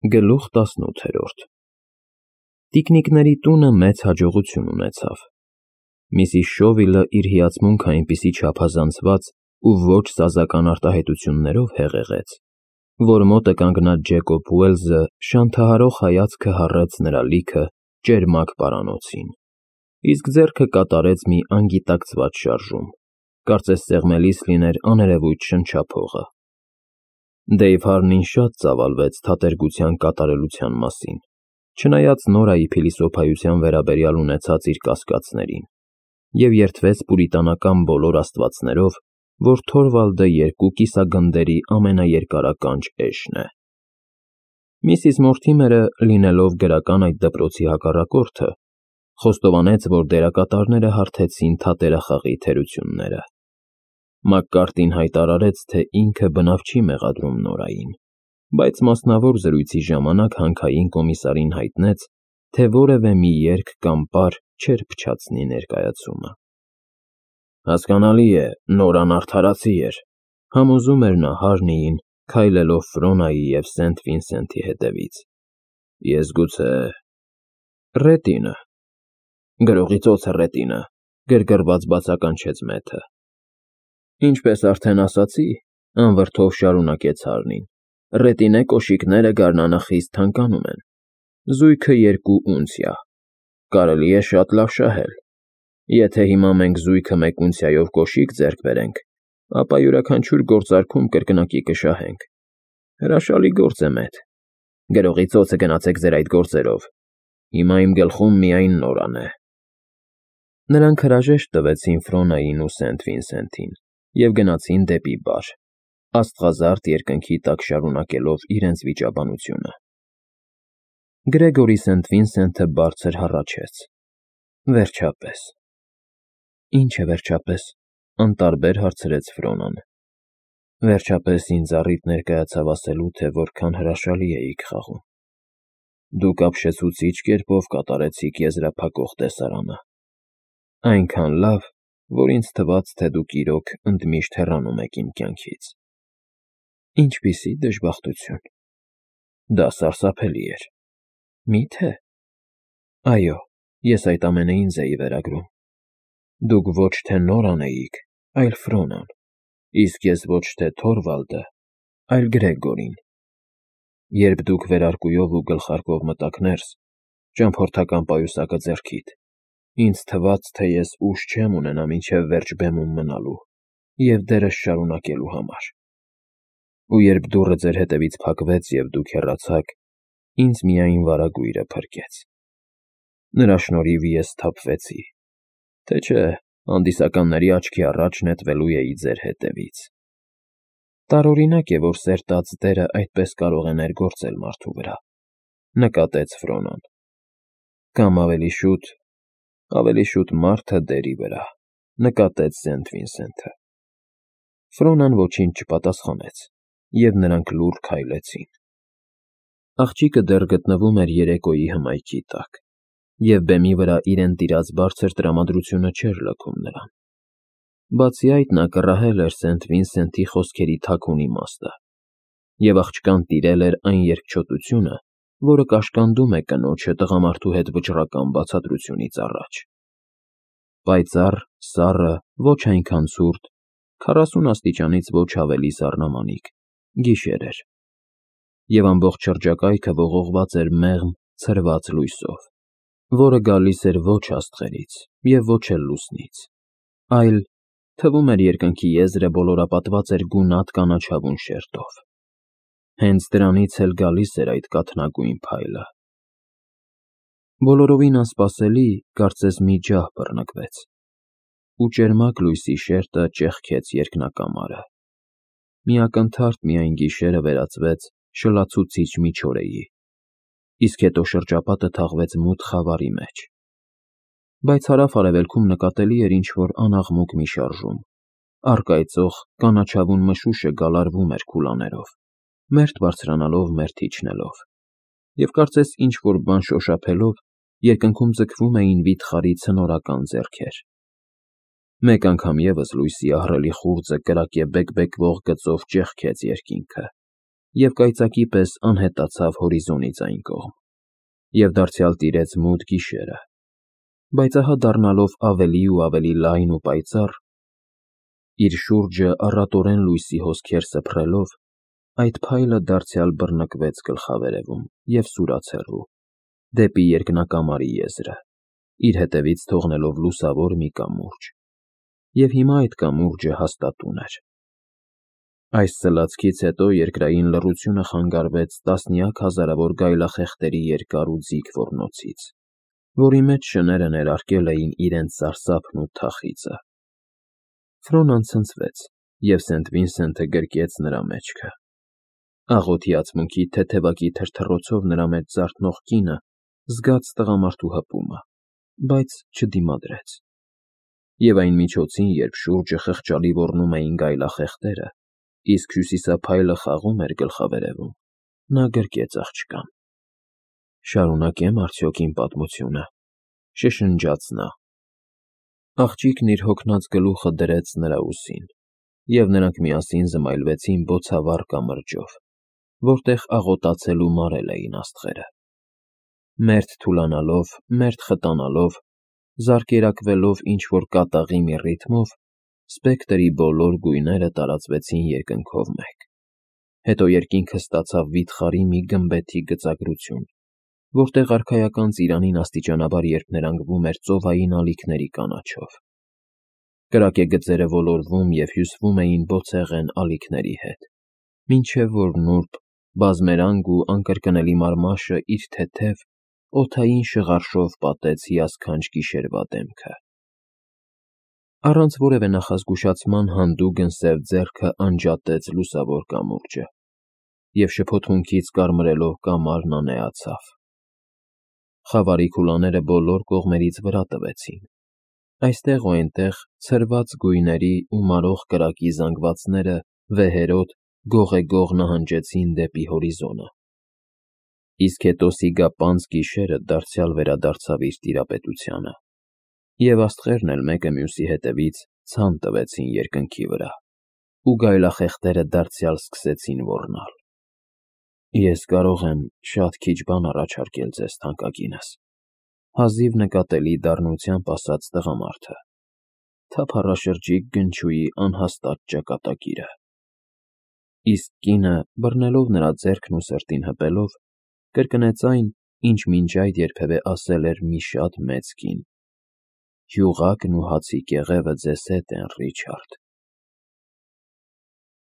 Գլուխ 18 Տիկնիկների տունը մեծ հաջողություն ունեցավ։ Միսիս Շովիլը իր հիացմունքը այնպիսի չափազանցված ու ոչ սազական արտահայտություններով հեղեղեց, որ մոտը կանգնած Ջեկոբ Ուելզը շանթահարող հայացքը հառեց նրա լիքը ճերմակ պարանոցին, իսկ ձեռքը կատարեց մի անգիտակցված շարժում, կարծես սեղմելիս լիներ աներևույթ շնչափողը։ Դեյվ Հարնին շատ ծավալվեց թատերգության կատարելության մասին, չնայած Նորայի փիլիսոփայության վերաբերյալ ունեցած իր կասկածներին, և երդվեց պուրիտանական բոլոր աստվածներով, որ Թորվալդը երկու կիսագնդերի ամենաերկարականջ էշն է։ Միսիս Մորթիմերը, լինելով գրական այդ դպրոցի հակառակորդը, խոստովանեց, որ դերակատարները հարթեցին թատերախաղի թերությունները։ Մակկարտին հայտարարեց, թե ինքը բնավ չի մեղադրում Նորային, բայց մասնավոր զրույցի ժամանակ հանքային կոմիսարին հայտնեց, թե որևէ մի երգ կամ պար չէր փչացնի ներկայացումը։ Հասկանալի է, Նորան արդարացի էր, համոզում էր նա Հարնիին, քայլելով Ֆրոնայի և Սենթ Վինսենթի հետևից։ Ես գուցե… Ռետինը… Գրողի ծոցը Ռետինը, գրգռված բացականչեց Մեթը։ Ինչպես արդեն ասացի, անվրդով շարունակեց Հարնին, Ռետինե կոշիկները գարնանը խիստ թանկանում են, զույգը 2 ունցիա, կարելի է շատ լավ շահել։ Եթե հիմա մենք զույգը 1 ունցիայով կոշիկ ձեռք բերենք, ապա յուրաքանչյուր գործարքում կրկնակի կշահենք։ Հրաշալի գործ է, Մեթ։ Գրողի ծոցը գնացեք ձեր այդ գործերով։ Հիմա իմ գլխում միայն Նորան է։ Նրանք հրաժեշտ տվեցին Ֆրոնային ու Սենթ Վինսենթին և գնացին դեպի բար, աստղազարդ երկնքի տակ շարունակելով իրենց վիճաբանությունը։ Գրեգորի Սենթ Վինսենթը բարձր հառաչեց։ Վերջապես։ Ինչ է վերջապես, անտարբեր հարցրեց Ֆրոնան։ Վերջապես ինձ առիթ ներկայացավ ասելու, թե որքան հրաշալի էիք խաղում։ Դուք ապշեցուցիչ կերպով կատարեցիք եզրափակող տեսարանը։ Այնքան լավ, որ ինձ թվաց, թե դուք իրոք ընդմիշտ հեռանում եք իմ կյանքից։ Ինչպիսի դժբախտություն։ Դա սարսափելի էր։ Մի՞թե։ Այո, ես այդ ամենը ինձ էի վերագրում։ Դուք ոչ թե Նորան էիք, այլ Ֆրոնան, իսկ ես ոչ թե Թորվալդը, այլ Գրեգորին։ Երբ դուք վերարկուով ու գլխարկով մտաք ներս, ճամփորդական պայուսակը ձեռքիդ, ինձ թվաց, թե ես ուժ չեմ ունենա մինչև վերջ բեմում մնալու և դերս շարունակելու համար։ Ու երբ դուռը ձեր հետևից փակվեց և դուք հեռացաք, ինձ միայն վարագույրը փրկեց։ Նրա շնորհիվ ես սթափվեցի, թե չէ հանդիսականների աչքի առաջ նետվելու էի ձեր հետևից։ Տարօրինակ է, որ սերտած դերը այդպես կարող է ներգործել մարդու վրա, նկատեց Ֆրոնան։ Կամ ավելի շուտ մարդը դերի վրա, նկատեց Սենթ Վինսենթը։ Ֆրոնան ոչինչ չպատասխանեց, և նրանք լուռ քայլեցին։ Աղջիկը դեռ գտնվում էր երեկոյի հմայքի տակ, և բեմի վրա իրեն տիրած բարձր տրամադրությունը չէր լքում նրան։ Բացի այդ, նա կռահել էր Սենթ Վինսենթի խոսքերի թաքուն իմաստը, և աղջկան տիրել էր այն երկչոտությունը, որը կաշկանդում է կնոջը տղամարդու հետ վճռական բացատրությունից առաջ։ Պայծառ, սառը, ոչ այնքան ցուրտ, 40 աստիճանից ոչ ավելի սառնամանիք, գիշեր էր, և ամբողջ շրջակայքը ողողված էր մեղմ, ցրված լույսով, որը գալիս էր ոչ աստղերից և ոչ էլ լուսնից, այլ, թվում էր, երկնքի եզրը բոլորապատված էր գունատ կանաչավուն շերտով։ Հենց դրանից էլ գալիս էր այդ կաթնագույն փայլը։ Բոլորովին անսպասելի, կարծես մի ջահ բռնկվեց, ու ճերմակ լույսի շերտը ճեղքեց երկնակամարը։ Մի ակնթարթ միայն գիշերը վերածվեց շլացուցիչ միջօրեի, իսկ հետո շրջապատը թաղվեց մութ խավարի մեջ։ Բայց հարավ֊արևելքում նկատելի էր ինչ-որ անաղմուկ մի շարժում, առկայծող կանաչավուն մշուշը գալարվում էր քուլաներով, մերթ բարձրանալով, մերթ իջնելով, և կարծես ինչ-որ բան շոշափելով, երկնքում ձգվում էին վիթխարի ցնորական ձեռքեր։ Մեկ անգամ ևս լույսի ահռելի խուრძը կրակե բեկբեկվող գծով ճեղքեց երկինքը, և կայծակի պես անհետացավ հորիզոնից այն կողմ, և դարձյալ տիրեց մութ գիշերը, բայց ահա դառնալով ավելի ու ավելի լայն ու պայծառ, իր շուրջը առատորեն լույսի հոսքեր սփռելով, այդ փայլը դարձյալ բռնկվեց գլխավերևում և սուրաց հեռու, դեպի երկնակամարի եզրը, իր հետևից թողնելով լուսավոր մի կամուրջ, և հիմա այդ կամուրջը հաստատուն էր։ Այս սլացքից հետո երկրային լռությունը խանգարվեց տասնյակ հազարավոր գայլախեղդերի երկար ու ձիգ ոռնոցից, որի մեջ շները ներարկել էին իրենց սարսափն ու թախիծը։ Ֆրոնան ցնցվեց, և Սենթ Վինսենթը գրկեց նրա մեջքը։ Աղոթի ածմունքի թեթևակի թրթռոցով նրա մեջ զարթնող կինը զգաց տղամարդու հպումը, բայց չդիմադրեց։ Եվ այն միջոցին, երբ շուրջը խղճալի ոռնում էին գայլախեղդերը, իսկ հյուսիսափայլը խաղում էր գլխավերևում, նա գրկեց աղջկան։ «Շարունակե՞մ արդյոք իմ պատմությունը», շշնջաց նա։ Աղջիկն իր հոգնած գլուխը դրեց նրա ուսին, և նրանք միասին զմայլվեցին բոցավառ կամրջով, որտեղ աղոտացել ու մարել էին աստղերը։ Մերթ թուլանալով, մերթ խտանալով, զարկերակվելով ինչ-որ կատաղի մի ռիթմով, սպեկտրի բոլոր գույները տարածվեցին երկնքով մեկ։ Հետո երկինքը ստացավ վիթխարի մի գմբեթի գծագրություն, որտեղ արքայական ծիրանին աստիճանաբար երբ ներանգվում էր ծովային ալիքների կանաչով։ Կրակեգծերը ոլորվում և հյուսվում էին բոցեղեն ալիքների հետ, մինչև որ նուրբ, բազմերանգ ու անկրկնելի մարմաշը իր թեթև, օդային շղարշով պատեց հիասքանչ գիշերվա դեմքը։ Առանց որևէ նախազգուշացման հանդուգն սև ձեռքը անջատեց լուսավոր կամուրջը, և շփոթմունքից կարմրելով կամարն անեացավ։ Խավարի քուլաները բոլոր կողմերից վրա տվեցին, այստեղ ու այնտեղ ցրված գույների ու մարող կրակի զանգվածները վեհերոտ գողեգող նահանջեցին դեպի հորիզոնը։ Իսկ հետո սիգապանծ գիշերը դարձյալ վերադարձավ իր տիրապետությանը, և աստղերն էլ մեկը մյուսի հետևից ցան տվեցին երկնքի վրա, ու գայլախեղդերը դարձյալ սկսեցին ոռնալ։ «Ես կարող եմ շատ քիչ բան առաջարկել ձեզ, թանկագինս», հազիվ նկատելի դառնությամբ ասաց տղամարդը, թափառաշրջիկ գնչուի անհաստատ ճակատագիրը։ Իսկ կինը, բռնելով նրա ձեռքն ու սրտին հպելով, կրկնեց այն, ինչ մինչ այդ երբևէ ասել էր մի շատ մեծ կին. «Հյուղակն ու հացի կեղևը ձեզ հետ են, Ռիչարդ»։